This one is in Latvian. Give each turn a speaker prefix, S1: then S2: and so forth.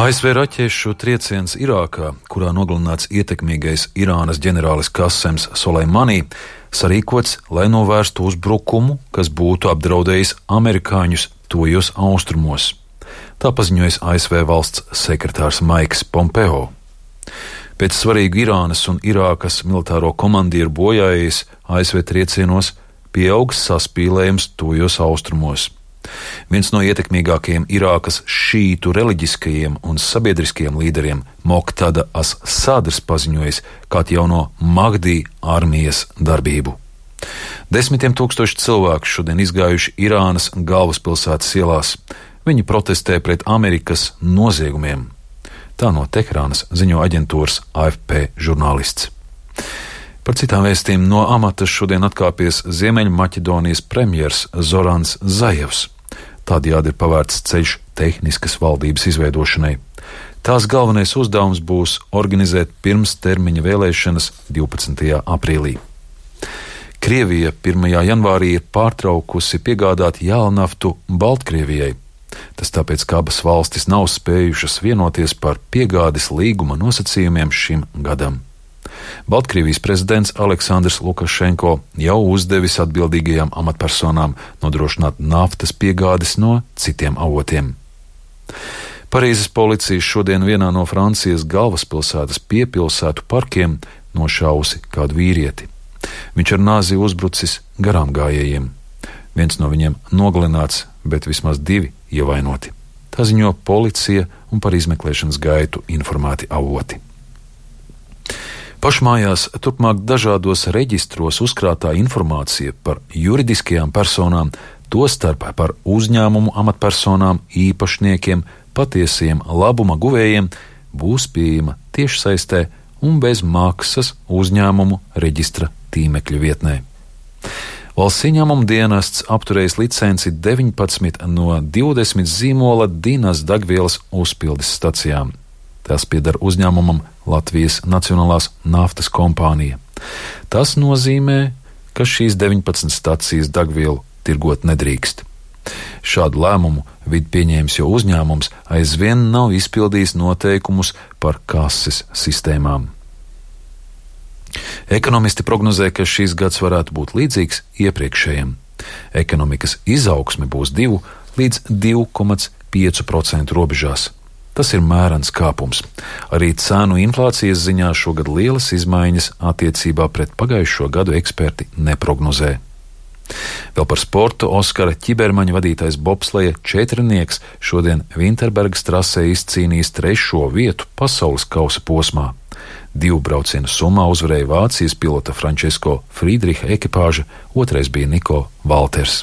S1: ASV raķešu trieciens Irākā, kurā nogalināts ietekmīgais Irānas ģenerālis Kasems Soleimani, sarīkots, lai novērstu uzbrukumu, kas būtu apdraudējis amerikāņus tuvajos austrumos. Tā paziņoja ASV valsts sekretārs Maiks Pompeo. Pēc svarīgu Irānas un Irākas militāro komandieru bojājējas ASV triecienos pieaugs saspīlējums tuvajos austrumos. Viens no ietekmīgākajiem Irākas šītu reliģiskajiem un sabiedriskajiem līderiem, Moktada as-Sadrs, paziņojis kā jauno Mahdī armijas darbību. Desmitiem tūkstoši cilvēku šodien izgājuši Irānas galvaspilsētas ielās. Viņi protestē pret Amerikas noziegumiem. Tā no Teherānas ziņo aģentūras AFP žurnālists. Par citām vēstīm no amata šodien atkāpies Ziemeļmaķedonijas premjers Zorans Zajevs. Tādējādi ir pavērts ceļš tehniskas valdības izveidošanai. Tās galvenais uzdevums būs organizēt pirmstermiņa vēlēšanas 12. aprīlī. Krievija 1. janvārī ir pārtraukusi piegādāt jēlnaftu Baltkrievijai. Tas tāpēc, ka abas valstis nav spējušas vienoties par piegādes līguma nosacījumiem šim gadam. Baltkrievijas prezidents Aleksandrs Lukašenko jau uzdevis atbildīgajām amatpersonām nodrošināt naftas piegādes no citiem avotiem. Parīzes policija šodien vienā no Francijas galvaspilsētas piepilsētu parkiem nošāvusi kādu vīrieti. Viņš ar nāzi uzbrucis garām gājējiem. Viens no viņiem nogalināts, bet vismaz 2 ievainoti. Tā ziņo policija un par izmeklēšanas gaitu informēti avoti. Pašmājās turpmāk dažādos reģistros uzkrātā informācija par juridiskajām personām, tostarp par uzņēmumu amatpersonām, īpašniekiem, patiesiem labuma guvējiem, būs pieejama tiešsaistē un bez maksas uzņēmumu reģistra tīmekļa vietnē. Valsts ieņēmuma dienests apturējis licenci 19 no 20 zīmola Dinas degvielas uzpildes stacijām. Tas pieder uzņēmumam Latvijas Nacionālās naftas kompānija. Tas nozīmē, ka šīs 19 stacijas degvielu tirgot nedrīkst. Šādu lēmumu vid pieņēmis, jo uzņēmums aizvien nav izpildījis noteikumus par kases sistēmām. Ekonomisti prognozē, ka šīs gads varētu būt līdzīgs iepriekšējiem. Ekonomikas izaugsme būs 2 līdz 2,5% robežās. Tas ir mērens kāpums. Arī cēnu inflācijas ziņā šogad lielas izmaiņas attiecībā pret pagājušo gadu eksperti neprognozē. Vēl par sportu Oskara Ķibermaņa vadītais bobsleja četrnieks šodien Vinterbergas trasē izcīnījis 3. vietu pasaules kausa posmā. 2 braucienu summā uzvarēja Vācijas pilota Francesco Friedricha ekipāža, otrais bija Niko Valters.